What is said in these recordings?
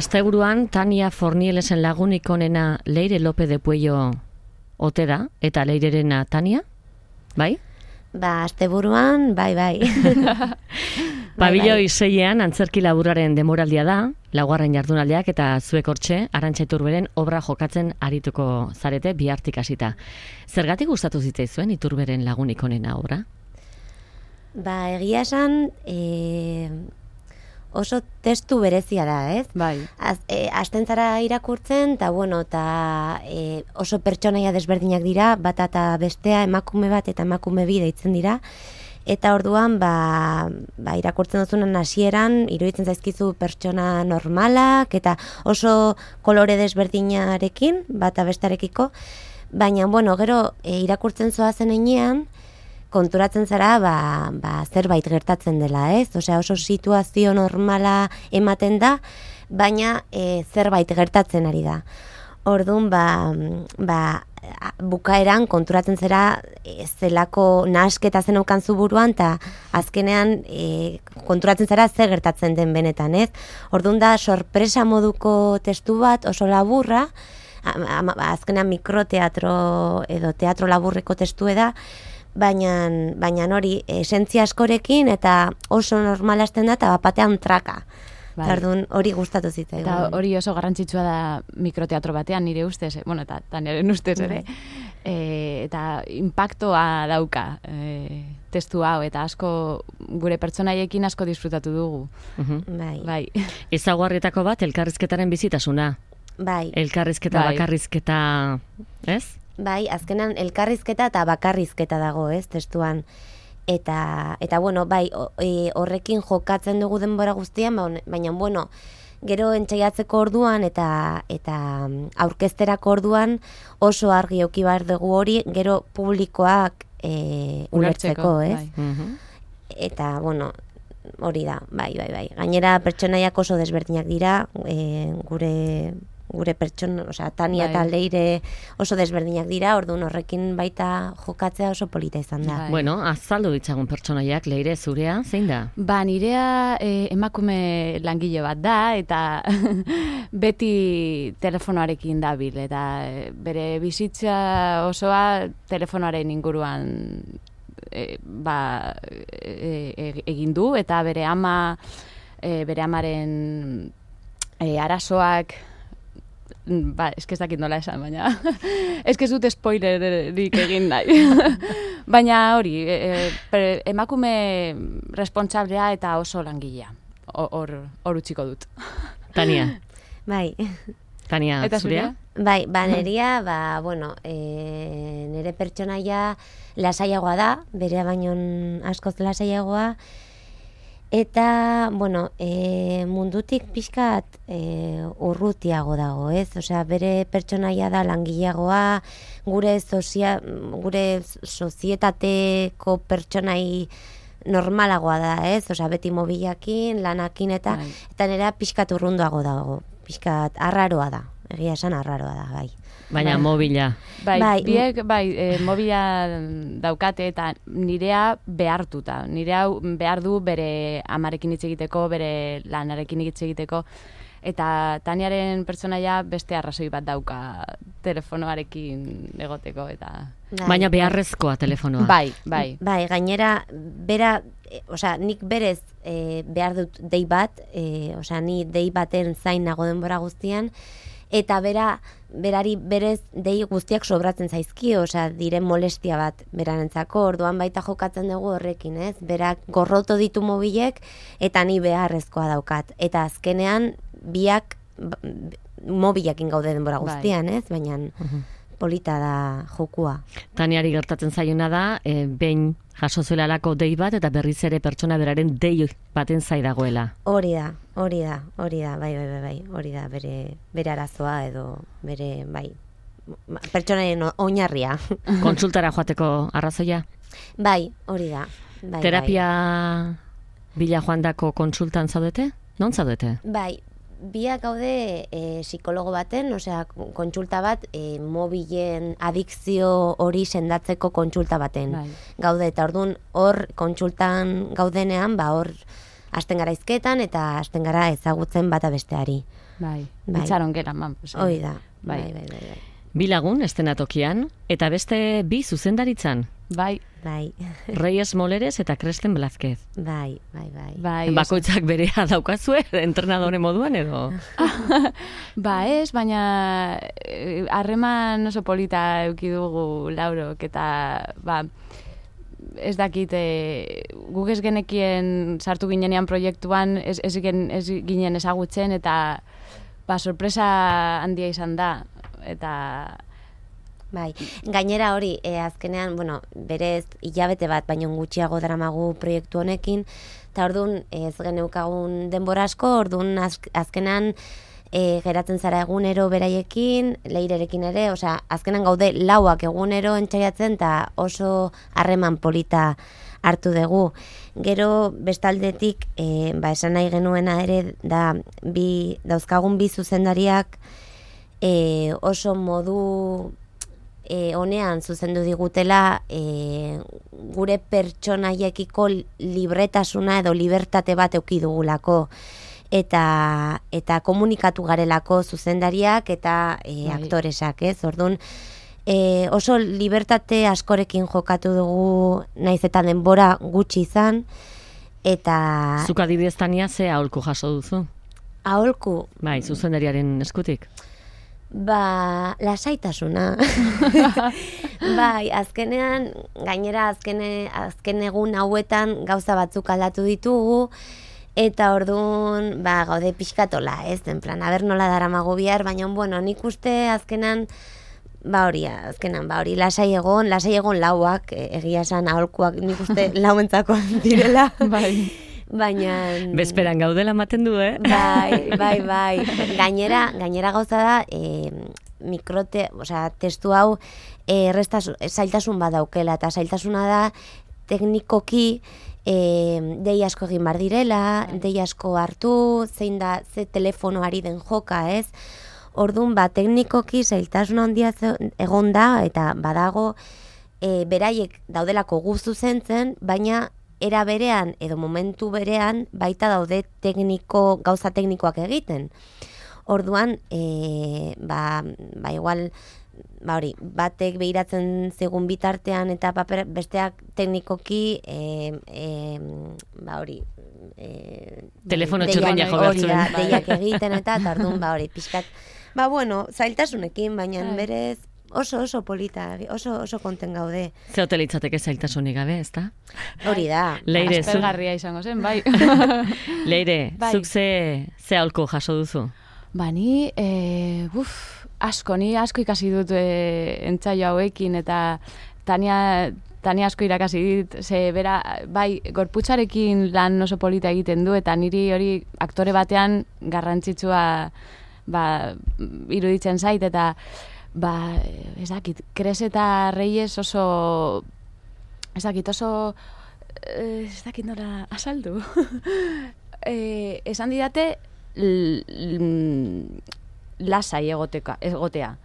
Asteburuan Tania Fornielesen lagunik onena Leire López de Puello ote da, eta Leirerena Tania, bai? Ba, asteburuan, bai. Pabiloi 6ean antzerki laburraren demoraldia da, laugarren jardunaldiak eta zuek hortxe, Arantxa Iturberen obra jokatzen arituko zarete bihartik hasita. Zergatik gustatu zitzaizuen Iturberen lagunik onena obra? Ba, egia esan, oso testu berezia da, ez? Bai. Hasten zara irakurtzen, eta oso pertsonaia desberdinak dira, bata eta bestea, emakume bat eta emakume bi deitzen dira, eta orduan, irakurtzen duzunan hasieran, iruditzen zaizkizu pertsona normalak, eta oso kolore desberdinarekin, bata bestarekiko, baina, gero, irakurtzen zoazen heinean, konturatzen zara, zerbait gertatzen dela, ez? Osea, oso situazio normala ematen da, baina zerbait gertatzen ari da. Orduan, bukaeran konturatzen zera zelako nahasketa zen aukanzu buruan, eta azkenean konturatzen zara zer gertatzen den benetan, ez? Orduan da, sorpresa moduko testu bat, oso laburra, azkenean mikroteatro edo teatro laburreko testue da, baina hori esentzia askorekin eta oso normala hasten da eta batean traka. Bai. Orduan hori gustatu zitzaigun. Eta hori oso garrantzitsua da mikroteatro batean nire ustez, eta Taniaren ustez ere. Eta impactoa dauka testu hau eta asko gure pertsonaiekin asko disfrutatu dugu. Bai. Ezaugarrietako bat elkarrizketaren bizitasuna. Bai. Elkarrizketa, bakarrizketa, ez? Bai, azkenan elkarrizketa eta bakarrizketa dago, ez, testuan. Eta horrekin jokatzen dugu denbora guztian, baina, gero entzaiatzeko orduan eta aurkezterako orduan oso argi eduki behar dugu hori, gero publikoak ulertzeko, ez? Bai. Eta, hori da, bai. Gainera pertsonaiak oso desberdinak dira, gure pertsona, Tania eta Leire oso desberdinak dira, orduan horrekin baita jokatzea oso polita izan da. Azaldu ditzagun pertsonaiak, Leire, zurea, zein da? Nirea emakume langile bat da, eta beti telefonoarekin dabil, eta bere bizitza osoa telefonoaren inguruan egin du, eta bere amaren arazoak ez dakit nola esan, baina ez dut spoilerik egin nahi. Baina hori, emakume responsablea eta oso langilea. Hor utziko dut. Tania. Bai. Tania, eta zurea? Bai, nerea, nire pertsonaia lasaiagoa da, berea baino askoz lasaiagoa, eta, mundutik pixkat urrutiago dago, ez? Osea, bere pertsonaia da langileagoa, gure sozietateko pertsonai normalagoa da, ez? Osea, beti mobilakin, lanakin eta nera pixkat urrunduago dago, pixkat arraroa da, egia esan arraroa da, bai. Baina mobila. Biek, mobila daukate eta nirea behartuta. Nirea behar du bere amarekin hitz egiteko, bere lanarekin hitz egiteko, eta Taniaren pertsonaia beste arrazoi bat dauka telefonoarekin egoteko. Baina beharrezkoa telefonoa. Bai. Bai, gainera, nik berez behar dut dei bat, ni dei baten zain nago denbora guztian, eta berari berez dei guztiak sobratzen zaizkio, diren molestia bat berarentzako, orduan baita jokatzen dugu horrekin, ez? Berak gorroto ditu mobilek, eta ni beharrezkoa daukat. Eta azkenean, biak mobilekin gaude denbora guztian, ez? Baina polita da jokua. Taniari gertatzen zaiona da, behin jaso zuela alako dei bat, eta berriz ere pertsona beraren dei baten zai dagoela. Hori da, bai, hori da, bere arazoa edo bere, pertsonaren oinarria. Kontsultara joateko arrazoia? Bai, hori da. Terapia bila joandako kontsultan zaudete? Non zaudete? Bai, biak gaude psikologo baten, kontsulta bat, mobilen adikzio hori sendatzeko kontsulta baten. Gaude, eta orduan hor kontsultan gaudenean, hor hasten gara hizketan eta hasten gara ezagutzen bata besteari. Bai, Bai. itxaron gera, man. Hoi da. Bai. Bai. Bi lagun estenatokian, eta beste bi zuzendaritzan. Bai, Bai. Reyes Moleres eta Kresten Blazquez. Bai. bai. Bakoitzak berea daukazue, entrenadore moduan edo? Ba ez, baina harreman oso polita eduki dugu Laurok, eta ba, ez dakit, guk ez genekien sartu ginenean proiektuan, ez ginen ezagutzen, eta ba, sorpresa handia izan da, eta... Bai, gainera hori, azkenean, bueno, berez hilabete bat, baino gutxiago daramagu proiektu honekin, eta orduan ez geneukagun denbora asko, orduan azkenan geratzen zara egunero beraiekin, Leirerekin ere, osea, azkenan gaude lauak egunero entxaiatzen, eta oso harreman polita hartu dugu. Gero bestaldetik, ba, esan nahi genuena ere, dauzkagun bi zuzendariak oso modu honean zuzendu digutela gure pertsonaiekiko libretasuna edo libertate bat eduki dugulako eta komunikatu garelako zuzendariak eta aktoresak, ez? Orduan oso libertate askorekin jokatu dugu, naiz eta denbora gutxi izan, eta... Zuk adibidez, Tania, ze aholku jaso duzu? Aholku? Bai, zuzendariaren eskutik. Ba, lasaitasuna. Bai, azkenean, gainera azken egun hauetan gauza batzuk aldatu ditugu, eta orduan, ba, gaude pixkatola, ez? En plan, aber nola daramago bihar, baina, bueno, nik uste azkenan, ba hori, lasai egon lauak, egia esan aholkuak nik uste lauentzako direla. Bai. Baina... Bezperan gaudela ematen du, eh? Bai. Gainera gauza da, testu hau zailtasun badaukela, eta zailtasuna da teknikoki dei asko egin bar direla, dei asko hartu, zein da, ze telefonoari den joka, ez? Orduan, ba, teknikoki zailtasun handia egon da, eta badago beraiek daudelako guztu zentzen, baina era berean edo momentu berean baita daude gauza teknikoak egiten. Orduan, igual, hori, batek behiratzen zegun bitartean eta besteak teknikoki, telefono txurreina jogatzen. Deiak egiten eta orduan, hori, pixkat, zailtasunekin, baina berez, oso polita, oso konten gaude. Ze hotelitzateke zailtasunik gabe, ezta? Hori da. Leire, aspergarria izango zen, bai. Leire, zuk ze aholku jaso duzu? Ba, ni asko ikasi dut entzaio hauekin, eta Tania asko irakasi dit, ze bera, bai, gorputzarekin lan oso polita egiten du, eta niri hori aktore batean garrantzitsua iruditzen zait, eta ba, ez dakit, Kres eta Reyes oso nola asaldu. Esan didate lasai egotea.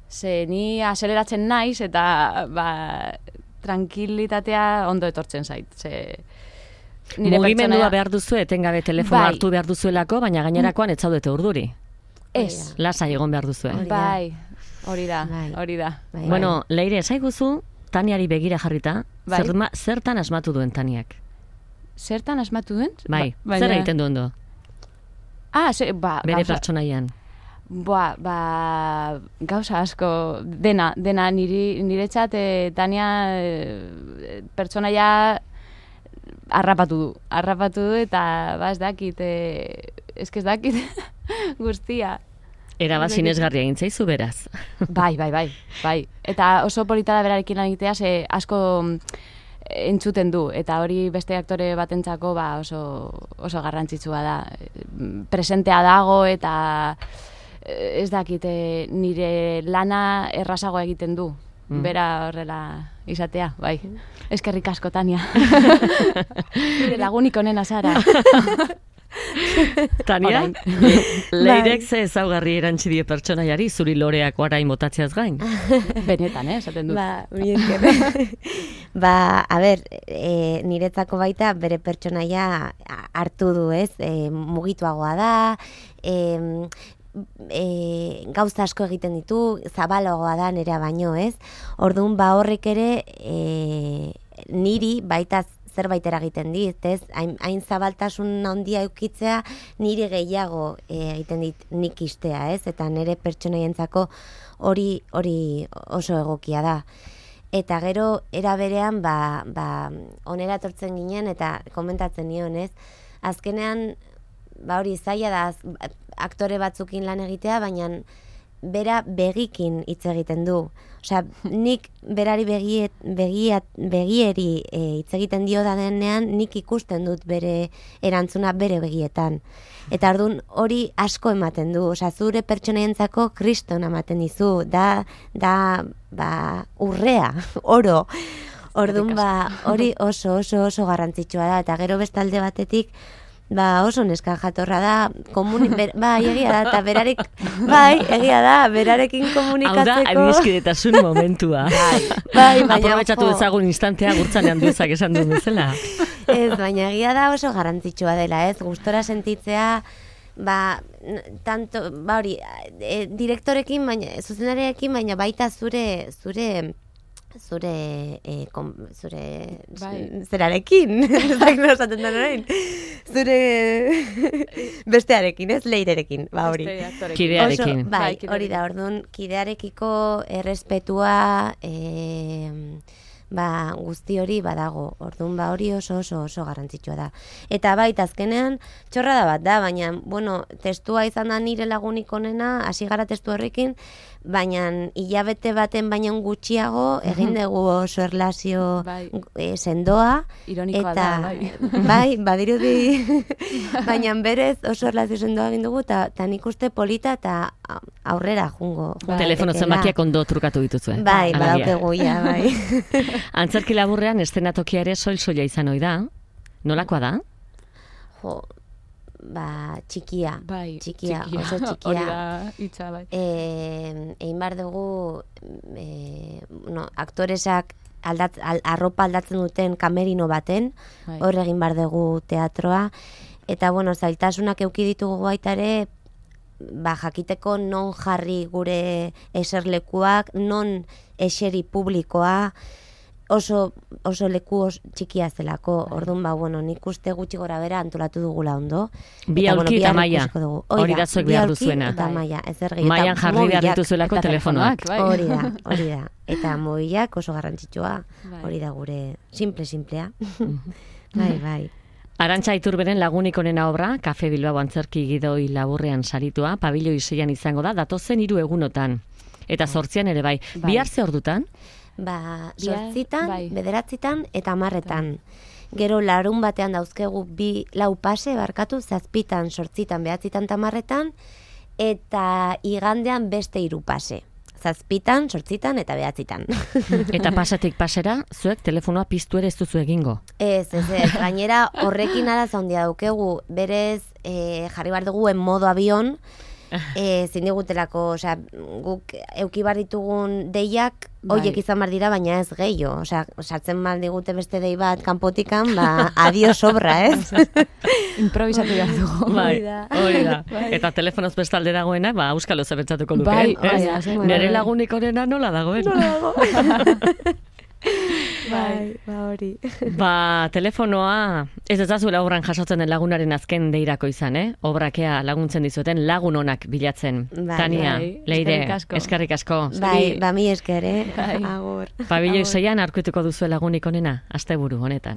Ze ni azeleratzen naiz eta tranquilitatea ondo etortzen zait. Mugimendua behar duzu, etengabe telefono hartu behar duzuelako, baina gainerakoan ez zaudete urduri. Ez. Lasai egon behar duzu. Bai. Hori da. Bueno, Leire, esaiguzu, Taniari begira jarrita, zertan asmatu duen Taniak? Zertan asmatu duen? Bai, zer egiten duen du? Bere pertsonaian. Gauza asko, dena niretzat, Tania pertsonaia harrapatu du, eta ez dakit, guztia. Era sinesgarria egin zaizu beraz. Bai. Eta oso polita da berarekin lan egitea, ze asko entzuten du, eta hori beste aktore batentzako oso garrantzitsua da. Presentea dago, eta ez dakit, nire lana errazagoa egiten du. Bera horrela izatea, bai. Eskerrik asko, Tania. Nire lagunik onena zara. Tania, leirek ze ezaugarri erantzi die pertsonaiari zuri loreak orain botatzeaz gain? Benetan, esaten dut. Mi esker. A ber, niretzako baita bere pertsonaia hartu du, ez? Mugituagoa da, gauza asko egiten ditu, zabalagoa da nerea baino, ez? Orduan, horrek ere niri baita zerbait eragiten dit, ez? Hain zabaltasun handia eukitzea niri gehiago egiten dit nik istea, ez? Eta nire pertsonaientzako hori oso egokia da. Eta gero, era berean, onera etortzen ginen, eta komentatzen nion, ez? Azkenean, hori zaila da, aktore batzukin lan egitea, baina bera begikin hitz egiten du. Osea, nik berari begieri hitz egiten dio da denean, nik ikusten dut bere erantzuna bere begietan. Eta orduan hori asko ematen du. Osea, zure pertsonaientzako kriston ematen dizu. Da urrea, oro. Orduan hori oso garrantzitsua da. Eta gero bestalde batetik, oso neska jatorra da, egia da, eta egia da, berarekin komunikatzeko. Hau da, adiskidetasun momentua. Aprobetxatu ezagun instantea gurtzanean duzak esan duen bezala. Ez, baina egia da oso garrantzitsua dela, ez, gustora sentitzea, direktorekin, zuzendarekin, baina baita zure zerarekin, zure bestearekin, ez, leirerekin, hori. Kidearekin. Hori da, orduan, kidearekiko errespetua, guzti hori badago, orduan hori oso garrantzitsua da. Eta baita azkenean, txorrada bat da, baina, testua izan da nire lagunik onena, hasi gara testu horrekin, baina hilabete baten baina gutxiago egin dugu oso erlazio sendoa. Ironikoa da, bai. Bai, badirudi, baina berez oso erlazio sendoa egin dugu, eta nik uste polita eta aurrera jungo. Telefono zenbakiak ondo trukatu dituzue. Bai, badaukegu, bai. Antzerki laburrean eszenatokia ere soil-soila izan ohi da. Nolakoa da? Txikia. Bai, txikia, oso txikia. Hori da, hitza, bai. Egin behar dugu, aktoresak arropa aldatzen duten kamerino baten, hor egin behar dugu teatroa. Eta, zailtasunak eduki ditugu baita ere, jakiteko non jarri gure eserlekuak, non eseri publikoa, oso leku txikia zelako. Orduan, nik uste gutxi gora bera antolatu dugula ondo. Bi aulki eta maia, hori da zuek behar duzuena. Eta maia, ez ergi. Maian jarri behar dituzuelako telefonoak. Hori da. Eta mobilak oso garrantzitsua, hori da gure simplea. Bai. Arantxa Iturberen lagunik onena obra, Kafe Bilbao antzerki gidoi laburrean saritua, pabiloi 6an izango da, datozen 3 egunotan. Eta 8an ere bai. Bihar ze ordutan? 8, 9 eta 10. Gero larun batean dauzkegu 4 pase, 7, 8, 9 eta 10, eta igandean beste 3 pase. 7, 8 eta 9. Eta pasatik pasera, zuek telefonoa piztu ere ez duzu egingo? Ez, gainera horrekin arazo handia daukegu, berez jarri behar dugu en modo avion, zindigutelako, guk euki bar ditugun deiak, hoiek izan bar dira, baina ez gehiago. Sartzen mal digute beste dei bat kanpotikan, adio sobra, ez? Improvisatu behar dugu. Hori da. Eta telefonoz bestalde dagoena, auskalo zebentzatuko luke. Nere lagunik onena nola dagoen? Hori. Telefonoa, ez dazuela obran jasotzen den lagunaren azken deirako izan, Obrakea laguntzen dizueten lagun onak bilatzen. Tania, Leire, eskerrik asko. Mi esker, agur. Pabiloi 6an aurkituko duzue lagunik onena, asteburu honetan.